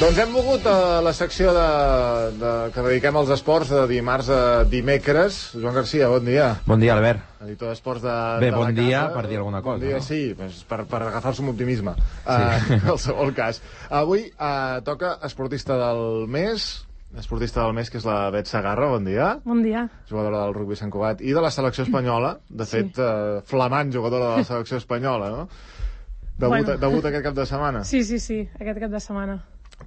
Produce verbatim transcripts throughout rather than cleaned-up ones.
Doncs hem volgut a la secció de, de, que dediquem als esports de dimarts a dimecres. Joan Garcia, bon dia. Bon dia, Albert. Editor d'esports de, Bé, de bon la dia casa. Per dir alguna cosa. Bon dia, no? sí, pues, per, per agafar-se amb optimisme. Sí. Uh, en qualsevol cas. Avui uh, toca esportista del mes, esportista del mes, que és la Bet Segarra, bon dia. Bon dia. Jugadora del rugbi Sant Cugat i de la selecció espanyola, de fet, sí. uh, flamant jugadora de la selecció espanyola, no? Debut, bueno. debut aquest cap de setmana. Sí, sí, sí, aquest cap de setmana.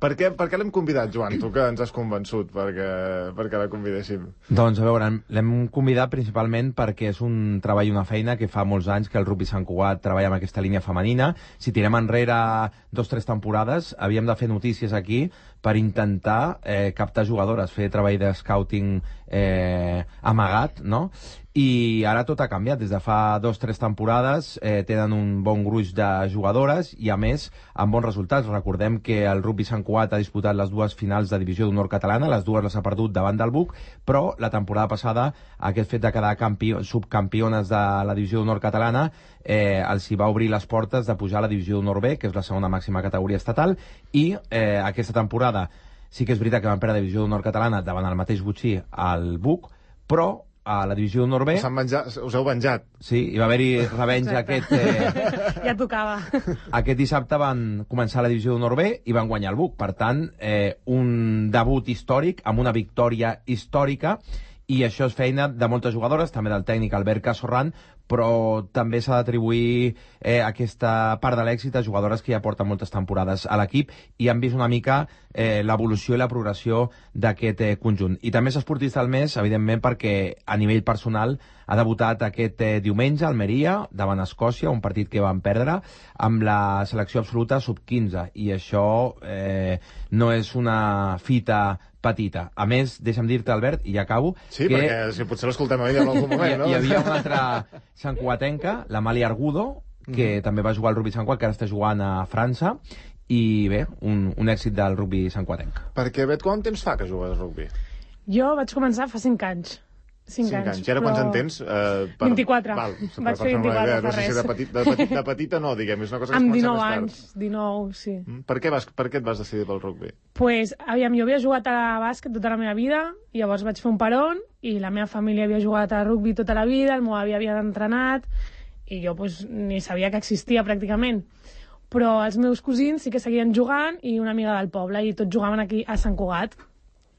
Per què, per què l'hem convidat, Joan? Tu que ens has convençut perquè, perquè la convidéssim. Doncs, a veure, l'hem convidat principalment perquè és un treball i una feina que fa molts anys que el rugbi Sant Cugat treballa amb aquesta línia femenina. Si tirem enrere dos o tres temporades, havíem de fer notícies aquí per intentar eh, captar jugadores, fer treball de scouting eh, amagat, no? I ara tot ha canviat. Des de fa dos o tres temporades eh, tenen un bon gruix de jugadores i, a més, amb bons resultats. Recordem que el rugbi Sant Cugat ha disputat les dues finals de divisió d'honor catalana, les dues les ha perdut davant del Buc, però la temporada passada aquest fet de quedar campió, subcampiones de la divisió d'honor catalana eh, els hi va obrir les portes de pujar a la divisió d'honor B, que és la segona màxima categoria estatal, i eh, aquesta temporada sí que és veritat que van perdre la divisió d'honor catalana davant el mateix Botxí al Buc, però a la divisió d'honor B... Venjat, us heu venjat. Sí, hi va haver-hi revenja aquest... Eh... Ja tocava. Aquest dissabte van començar la divisió d'honor B i van guanyar el Buc. Per tant, eh, un debut històric amb una victòria històrica, i això és feina de moltes jugadores, també del tècnic Albert Casorran, però també s'ha d'atribuir eh, aquesta part de l'èxit a jugadores que ja porten moltes temporades a l'equip i han vist una mica eh, l'evolució i la progressió d'aquest eh, conjunt. I també és esportista del mes, evidentment, perquè a nivell personal ha debutat aquest eh, diumenge a Almeria davant Escòcia, un partit que van perdre amb la selecció absoluta sub quinze, i això eh, no és una fita petita. A més, deixa'm dir-te, Albert, i ja acabo... Sí, que... perquè si potser l'escoltem a ella en algun moment, no? Hi, hi havia una altra santcugatenca, la Mali Argudo, que mm. també va jugar al rugbi Sant Cugat, que ara està jugant a França, i bé, un, un èxit del rugbi santcugatenc. Perquè, Bet, quant temps fa que jugues a rugbi? Jo vaig començar fa cinc anys. cinc anys. anys. I ara però... quants en tens? Eh, per... vint-i-quatre. Val, vaig fer vint-i-quatre, no fa sé si res. de, petit, de, petit, de petita no, diguem, és una cosa que amb es comença dinou més tard. anys, dinou, sí. Mm? Per, què vas, per què et vas decidir pel rugbi? Pues, aviam, jo havia jugat a bàsquet tota la meva vida, i llavors vaig fer un peron, i la meva família havia jugat a rugbi tota la vida, el meu avi havia entrenat, i jo pues, ni sabia que existia pràcticament. Però els meus cosins sí que seguien jugant, i una amiga del poble, i tots jugaven aquí a Sant Cugat.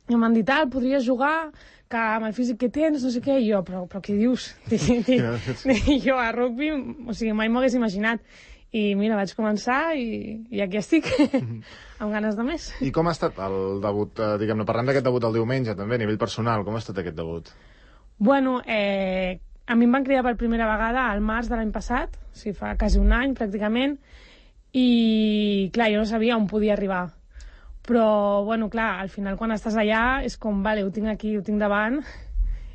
I em van dir, tal, podries jugar, que amb el físic que tens, no sé què, i jo, però, però què dius? I jo a rugbi, o sigui, mai m'ho hagués imaginat. I mira, vaig començar i, i aquí estic, amb ganes de més. I com ha estat el debut, eh, diguem-ne, parlant d'aquest debut del diumenge, també, a nivell personal, com ha estat aquest debut? Bueno, eh, a mi em van cridar per primera vegada al març de l'any passat, o sigui, fa quasi un any, pràcticament, i, clar, jo no sabia on podia arribar. Però, bueno, clar, al final quan estàs allà és com, vale, ho tinc aquí, ho tinc davant,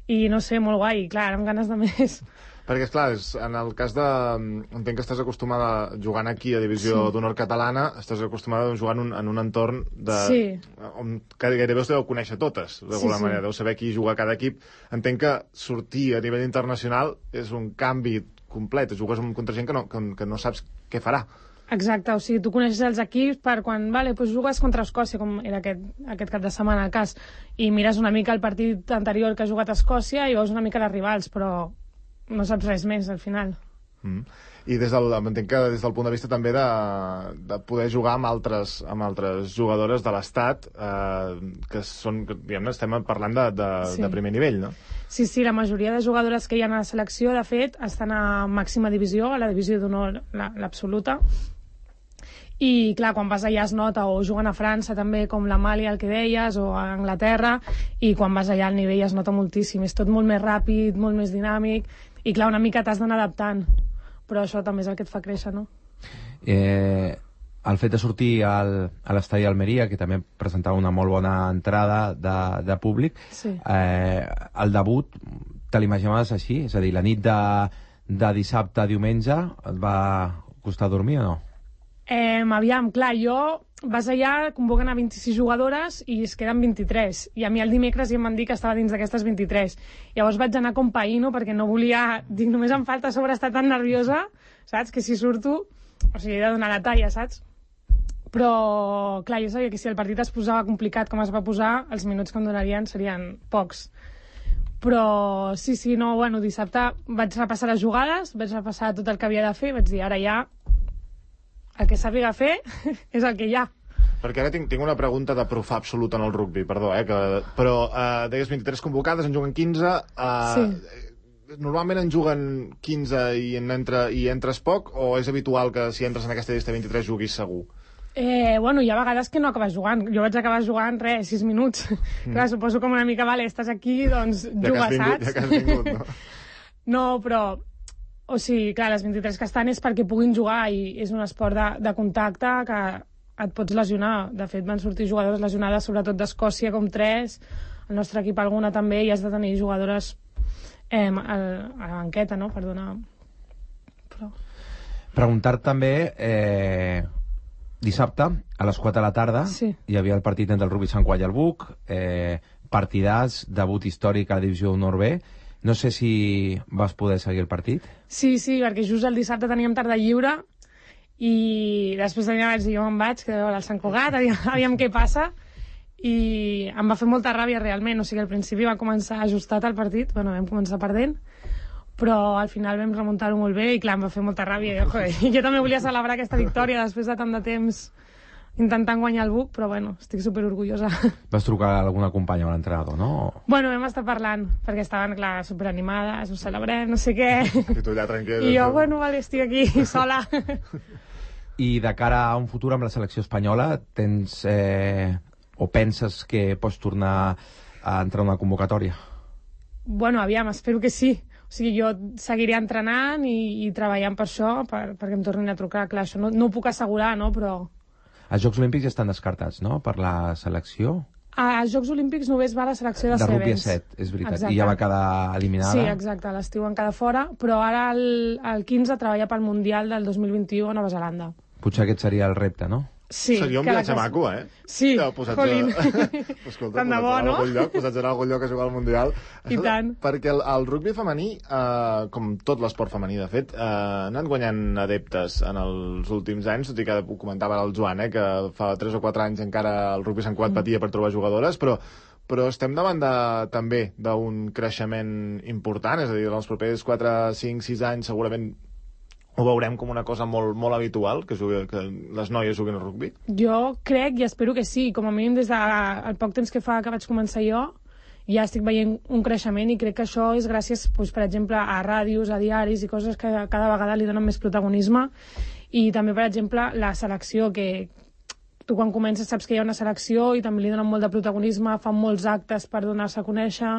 i no sé, molt guai, clar, amb ganes de més. Perquè, esclar, és, en el cas de... Entenc que estàs acostumada jugant aquí a Divisió sí. d'Honor Catalana, estàs acostumada a jugar en un, en un entorn de... Sí. On gairebé us deveu conèixer totes, d'alguna sí, sí. manera, deu saber qui juga a cada equip. Entenc que sortir a nivell internacional és un canvi complet, jugues contra gent que no, que, que no saps què farà. Exacte, o sigui, tu coneixes els equips per quan, vale, doncs jugues contra Escòcia, com era aquest, aquest cap de setmana al cas, i mires una mica el partit anterior que ha jugat a Escòcia i veus una mica les rivals, però no saps res més al final. Mm. I des del, entenc que des del punt de vista també de, de poder jugar amb altres, amb altres jugadores de l'Estat, eh, que són, diguem-ne, estem parlant de, de, sí. de primer nivell, no? Sí, sí, la majoria de jugadores que hi ha a la selecció, de fet, estan a màxima divisió, a la divisió d'honor, l'absoluta. I, clar, quan vas allà es nota, o juguen a França també, com la Mali, el que deies, o a Anglaterra, i quan vas allà el nivell es nota moltíssim. És tot molt més ràpid, molt més dinàmic, i, clar, una mica t'has d'anar adaptant. Però això també és el que et fa créixer, no? Eh, el fet de sortir al, a l'estadi d'Almeria, que també presentava una molt bona entrada de, de públic, sí. eh, el debut te l'imaginaves així? És a dir, la nit de, de dissabte a diumenge et va costar dormir o no? Eh, aviam, clar, jo vas allà, convoquen a vint-i-sis jugadores i es queden vint-i-tres, i a mi el dimecres ja em van dir que estava dins d'aquestes vint-i-tres. Llavors vaig anar com païno perquè no volia, dic, només em falta a sobre estar tan nerviosa, saps, que si surto, o sigui, he de donar la talla, saps? Però, clar, jo sabia que si el partit es posava complicat com es va posar, els minuts que em donarien serien pocs. Però, sí, sí, no, bueno, dissabte vaig repassar les jugades, vaig repassar tot el que havia de fer, vaig dir, ara ja, el que sàpiga fer és el que hi ha. Perquè ara tinc, tinc una pregunta de profà absolut en el rugby, perdó, eh, que, però eh, deies vint-i-tres convocades, en juguen quinze, eh, sí. Normalment en juguen quinze i, en entra, i entres poc, o és habitual que si entres en aquesta llista vint-i-tres juguis segur? Eh, bueno, hi ha vegades que no acabes jugant. Jo vaig acabar jugant, res, sis minuts. Mm. Clar, suposo com una mica, vale, estàs aquí, doncs juga, saps? Ja que has vingut, no? No, però... O sigui, clar, les vint-i-tres que estan és perquè puguin jugar i és un esport de, de contacte que et pots lesionar. De fet, van sortir jugadores lesionades, sobretot d'Escòcia, com tres, el nostre equip alguna també, i has de tenir jugadores eh, a, a la banqueta, no?, perdona. Però... Preguntar també, eh, dissabte, a les quatre de la tarda, sí. Hi havia el partit entre el Rugby Sant Cugat i el Buc, eh, partidàs, debut històric a la divisió d'honor B. No sé si vas poder seguir el partit. Sí, sí, perquè just el dissabte teníem tarda lliure i després de dinar vaig dir, jo me'n vaig, que deu al Sant Cugat, aviam, aviam què passa, i em va fer molta ràbia realment. O sigui, al principi va començar ajustat el partit, bueno, vam començar perdent, però al final vam remuntar-ho molt bé i clar, em va fer molta ràbia. Jo, joder, jo també volia celebrar aquesta victòria després de tant de temps intentant guanyar el Buc, però bueno, estic superorgullosa. Vas trucar a alguna companya o a l'entrenador, no? Bueno, vam estar parlant, perquè estaven, clar, superanimades, ho celebrem, no sé què. I tu allà tranquil·la. I jo, bueno, vale, estic aquí, sola. I de cara a un futur amb la selecció espanyola, tens eh, o penses que pots tornar a entrar a una convocatòria? Bueno, aviam, espero que sí. O sigui, jo seguiré entrenant i, i treballant per això, per, perquè em tornin a trucar. Clar, això no, no ho puc assegurar, no?, però... Els Jocs Olímpics estan descartats, no?, per la selecció? Als Jocs Olímpics només va la selecció de, de Sevens. De rugby a set, és veritat. Exacte. I ja va quedar eliminada. Sí, exacte, l'estiu en quedar fora, però ara el, el quinze treballa pel Mundial del dos mil vint-i-u a Nova Zelanda. Potser aquest seria el repte, no? Sí. Seria un viatge maco, eh? Sí, ja, jolín. A... Escolta, tant de bo, no? Lloc, posats en algun lloc a jugar al Mundial. I tant. Perquè el, el rugby femení, eh, com tot l'esport femení, de fet, eh, ha anat guanyant adeptes en els últims anys, tot i que ho comentava el Joan, eh, que fa tres o quatre anys encara el rugby Sant Cugat patia per trobar jugadores, però però estem davant de, també d'un creixement important, és a dir, en els propers quatre, cinc, sis anys segurament ho veurem com una cosa molt, molt habitual, que, jugui, que les noies juguin al rugby? Jo crec i espero que sí. Com a mínim des del poc temps que fa que vaig començar jo, ja estic veient un creixement i crec que això és gràcies, doncs, per exemple, a ràdios, a diaris i coses que cada vegada li donen més protagonisme. I també, per exemple, la selecció, que tu quan comences saps que hi ha una selecció i també li donen molt de protagonisme, fan molts actes per donar-se a conèixer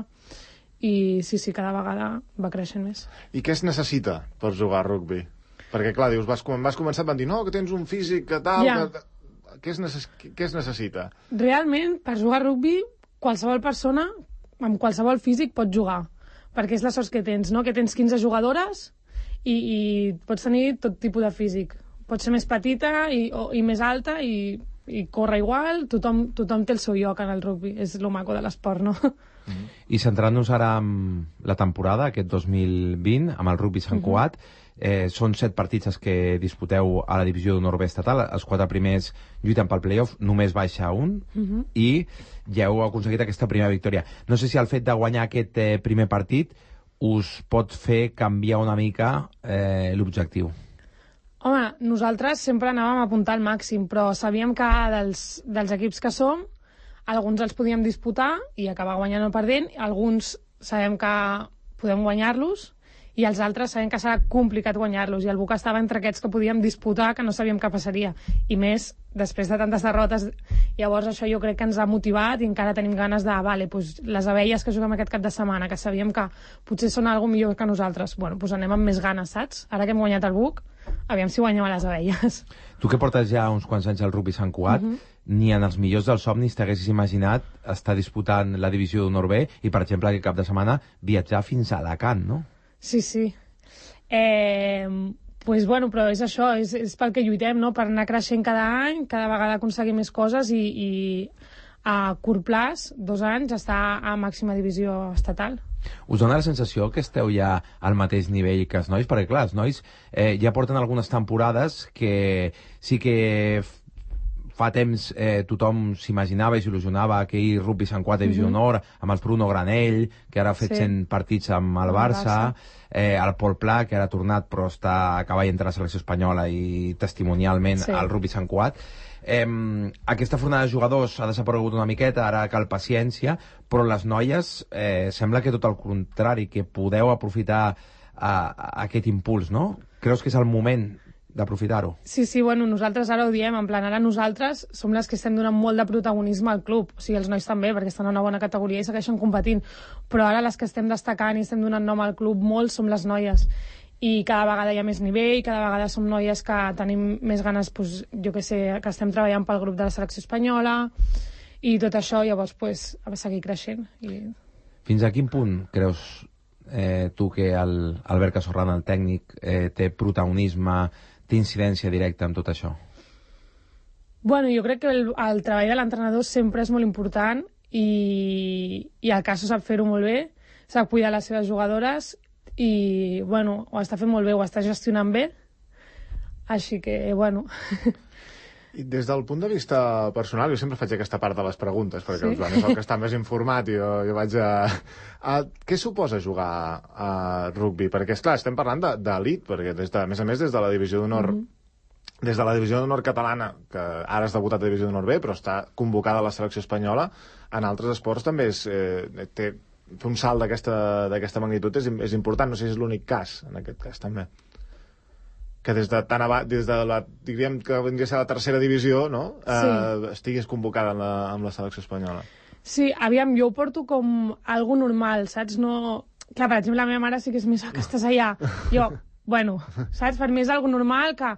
i sí, sí, cada vegada va creixent més. I què es necessita per jugar a rugby? Perquè, clar, dius, vas, quan vas començar van dir no, que tens un físic, que tal... Ja. Que... Què, es necess... què es necessita? Realment, per jugar a rugby, qualsevol persona, amb qualsevol físic, pot jugar. Perquè és la sort que tens, no? Que tens quinze jugadores i, i pots tenir tot tipus de físic. Pots ser més petita i, o, i més alta i, i córrer igual. Tothom, tothom té el seu lloc en el rugby. És lo maco de l'esport, no? Mm-hmm. I centrant-nos ara en la temporada, aquest dos mil vint, amb el rugby Sant Cugat, mm-hmm. Eh, són set partits els que disputeu a la divisió d'honor B estatal, els quatre primers lluiten pel playoff, només baixa un, uh-huh. i ja heu aconseguit aquesta primera victòria. No sé si el fet de guanyar aquest eh, primer partit us pot fer canviar una mica eh, l'objectiu. Home, nosaltres sempre anàvem a apuntar al màxim, però sabíem que dels, dels equips que som, alguns els podíem disputar i acabar guanyant o perdent, alguns sabem que podem guanyar-los, i els altres sabem que serà complicat guanyar-los, i el Buc estava entre aquests que podíem disputar, que no sabíem què passaria, i més després de tantes derrotes. Llavors això jo crec que ens ha motivat i encara tenim ganes de, vale, pues, les abelles que juguem aquest cap de setmana, que sabíem que potser són algo millor que nosaltres, bueno, pues anem amb més ganes, saps? Ara que hem guanyat el Buc, aviam si guanyem a les abelles. Tu que portes ja uns quants anys al rugby Sant Cugat, uh-huh. ni en els millors dels somnis t'haguessis imaginat estar disputant la divisió d'honor B i, per exemple, aquest cap de setmana viatjar fins a Alacant, no? Sí, sí. Eh, pues bueno, però és això, és, és pel que lluitem, no? Per anar creixent cada any, cada vegada aconseguir més coses i, i a curt plaç, dos anys, estar a màxima divisió estatal. Us dona la sensació que esteu ja al mateix nivell que els nois? Perquè, clar, els nois eh, ja porten algunes temporades que sí que fa temps eh, tothom s'imaginava i s'il·lusionava aquell rugby Sant quatre Divisió d'Honor, amb el Bruno Granell, que ara ha fet Sí. cent partits amb el Barça, eh, el Pol Pla, que ara ha tornat però està a cavall entre la selecció espanyola i testimonialment Sí. al rugby Sant quatre. Eh, aquesta fornada de jugadors ha desaparegut una miqueta, ara cal paciència, però les noies eh, sembla que tot el contrari, que podeu aprofitar a, a aquest impuls, no? Creus que és el moment d'aprofitar-ho? Sí, sí, bueno, nosaltres ara ho diem, en plan, ara nosaltres som les que estem donant molt de protagonisme al club, o sigui, els nois també, perquè estan en una bona categoria i segueixen competint, però ara les que estem destacant i estem donant nom al club molt som les noies, i cada vegada hi ha més nivell, cada vegada som noies que tenim més ganes, doncs, jo que sé, que estem treballant pel grup de la selecció espanyola, i tot això, llavors, pues, ha de seguir creixent. I... Fins a quin punt creus eh, tu que el Albert Casorrana, el tècnic, eh, té protagonisme, té incidència directa en tot això? Bueno, jo crec que el, el treball de l'entrenador sempre és molt important i, i el Caso sap fer-ho molt bé, sap cuidar les seves jugadores i, bueno, ho està fent molt bé, ho està gestionant bé, així que, bueno... I des del punt de vista personal, jo sempre faig aquesta part de les preguntes, perquè Sí? el Joan és el que està més informat i jo, jo vaig a... a... Què suposa jugar a rugby? Perquè, esclar, estem parlant d'elit, perquè, des de, a més a més, des de la Divisió d'Honor mm -hmm. des de la Divisió d'Honor catalana, que ara has debutat a Divisió d'Honor B, però està convocada a la selecció espanyola, en altres esports també és, eh, té, fer un salt d'aquesta magnitud és, és important, no sé si és l'únic cas, en aquest cas també. Que des de tan ava, des de la, diríem que vindria a ser la tercera divisió, no? Eh, Sí. estiguis convocada amb la, amb la selecció espanyola. Sí, aviam, jo ho porto com algo normal, saps? No... Clar, per exemple, la meva mare sí que és més, ah, que estàs allà. Jo, bueno, saps? Per mi és algo normal que,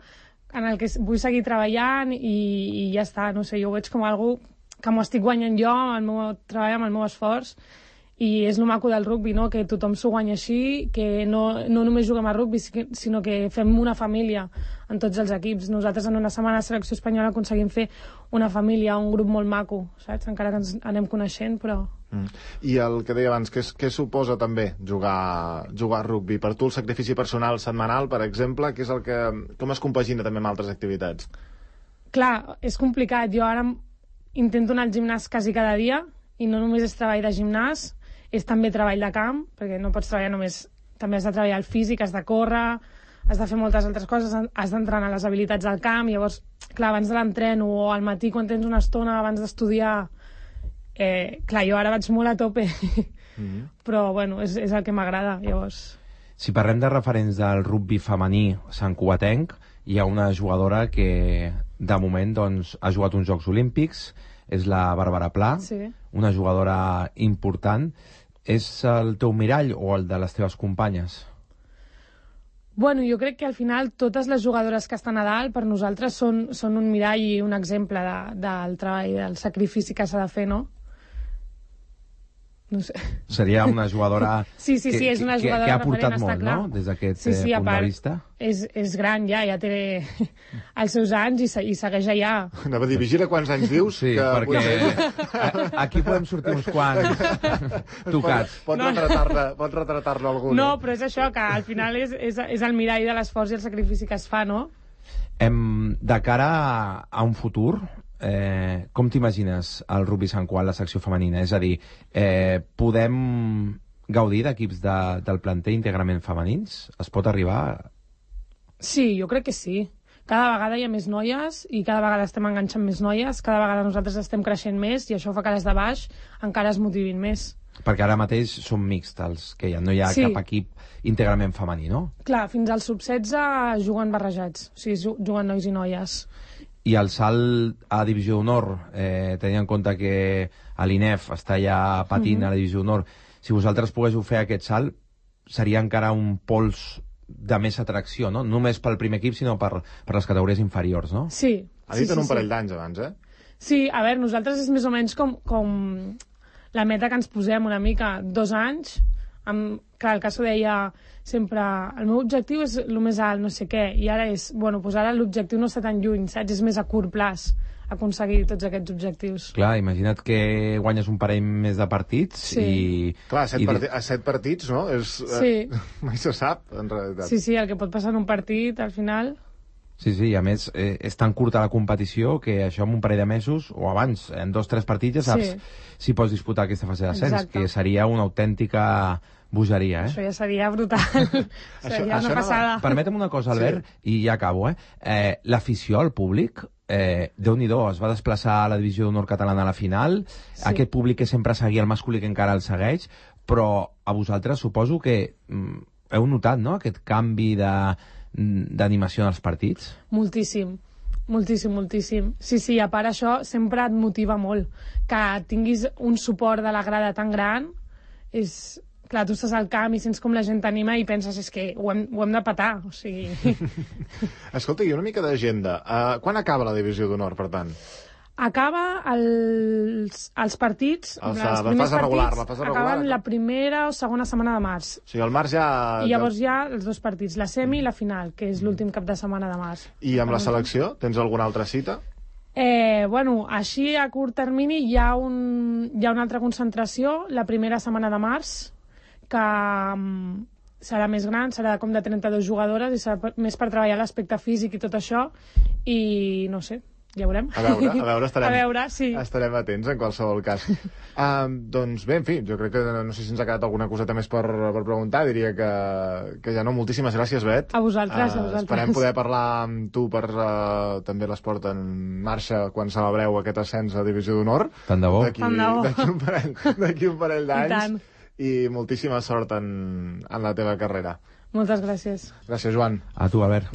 en el que vull seguir treballant i, i ja està, no sé, jo ho veig com algo que m'ho estic guanyant jo amb el meu treball, amb el meu esforç, i és el maco del rugby, no? Que tothom s'ho guanya així, que no, no només juguem a rugby, sinó que fem una família en tots els equips. Nosaltres en una setmana de selecció espanyola aconseguim fer una família, un grup molt maco, saps? Encara que ens anem coneixent, però... Mm. I el que deia abans, què, què suposa també jugar, jugar a rugby? Per tu el sacrifici personal setmanal, per exemple, què és el que, com es compagina també amb altres activitats? Clar, és complicat. Jo ara intento anar al gimnàs quasi cada dia, i no només és treball de gimnàs, és també treball de camp, perquè no pots treballar només... També has de treballar el físic, has de córrer, has de fer moltes altres coses, has d'entrenar les habilitats del camp, llavors, clar, abans de l'entreno o al matí quan tens una estona abans d'estudiar, eh, clar, jo ara vaig molt a tope, mm-hmm. però, bueno, és, és el que m'agrada, llavors... Si parlem de referents del rugby femení santcugatenc, hi ha una jugadora que, de moment, doncs, ha jugat uns Jocs Olímpics, és la Bàrbara Pla, Sí. una jugadora important. És el teu mirall o el de les teves companyes? Bueno, jo crec que al final totes les jugadores que estan a dalt per nosaltres són, són un mirall i un exemple de, del treball, del sacrifici que s'ha de fer, no? No sé. Seria una jugadora Sí, sí, sí, que, és una que, jugadora que ha referent, aportat està molt, clar. no?, des d'aquest Sí, sí, eh, a punt part, de vista. És, és gran ja, ja té els seus anys i, se, i segueix allà. Anava a dir, vigila quants anys dius. Sí, que perquè potser... a- aquí podem sortir uns quants tocats. Pot, pot No. retratar-ne pot retratar-ne algun. No, però és això, que al final és, és, és el mirall de l'esforç i el sacrifici que es fa, no? Em, de cara a, a un futur, eh, com t'imagines el rugby Sant Cugat, la secció femenina? És a dir, eh, podem gaudir d'equips de, del planter íntegrament femenins? Es pot arribar? Sí, jo crec que sí. Cada vegada hi ha més noies i cada vegada estem enganxant més noies, cada vegada nosaltres estem creixent més i això fa que les de baix encara es motivin més. Perquè ara mateix són mixts els que hi ha, no hi ha Sí. cap equip íntegrament femení, no? Clar, fins al sub setze juguen barrejats, o sigui, ju- juguen nois i noies. I el salt a Divisió d'Honor, eh, tenint en compte que l'I N E F està ja patint Mhm. a la Divisió d'Honor, si vosaltres poguéssiu fer aquest salt, seria encara un pols de més atracció, no? No només pel primer equip, sinó per, per les categories inferiors, no? Sí. Ha dit sí, en un sí, parell sí. d'anys abans, eh? Sí, a veure, nosaltres és més o menys com, com la meta que ens posem una mica, dos anys, amb, clar, el Caso deia sempre, el meu objectiu és el més alt, no sé què, i ara és, bueno, doncs ara l'objectiu no està tan lluny, saps? És més a curt plaç aconseguir tots aquests objectius. Clar, imagina't que guanyes un parell més de partits Sí. i... Clar, a set, i... partits, a set partits, no? És, Sí. eh, mai se sap, en realitat. Sí, sí, el que pot passar en un partit, al final... Sí, sí, i a més eh, és tan curta la competició que això en un parell de mesos, o abans, en dos o tres partits ja saps Sí. si pots disputar aquesta fase d'ascens, Exacte. que seria una autèntica bogeria, eh? Això ja seria brutal. Seria això una no- passada. Permetem una cosa, Albert, i ja acabo, eh? eh L'afició, el públic, eh, Déu-n'hi-do, es va desplaçar a la divisió d'honor catalana a la final, Sí. aquest públic que sempre seguia el masculí que encara el segueix, però a vosaltres suposo que mm, heu notat, no?, aquest canvi de d'animació en els partits? Moltíssim, moltíssim, moltíssim. Sí, sí, a part això sempre et motiva molt. Que tinguis un suport de la grada tan gran és... Clar, tu estàs al camp i sents com la gent t'anima i penses és que ho hem, ho hem de petar, o sigui... Escolta, i una mica d'agenda. Uh, quan acaba la divisió d'honor, per tant? Acaba els, els partits, Els, els la primers fase regular, partits la fase regular, acaben no? la primera o segona setmana de març. O sigui, al març ja... I llavors hi ha els dos partits, la semi i la final, que és l'últim cap de setmana de març. I amb la selecció? Tens alguna altra cita? Eh, bueno, així a curt termini hi ha, un, hi ha una altra concentració la primera setmana de març que um, serà més gran, serà com de trenta-dues jugadores i serà per, més per treballar l'aspecte físic i tot això i no sé, ja veurem. A veure, a veure, estarem, a veure, sí. estarem atents en qualsevol cas. um, doncs bé, en fi, jo crec que no sé si ens ha quedat alguna coseta més per, per preguntar, diria que, que ja no. Moltíssimes gràcies, Bet. A vosaltres, Uh, a vosaltres. Esperem poder parlar amb tu per uh, també l'esport en marxa quan celebreu aquest ascens a Divisió d'Honor. Tant de bo. D'aquí Tant de bo. d'aquí un parell, d'aquí un parell I d'anys. tant. I moltíssima sort en, en la teva carrera. Moltes gràcies. Gràcies, Joan. A tu, Albert.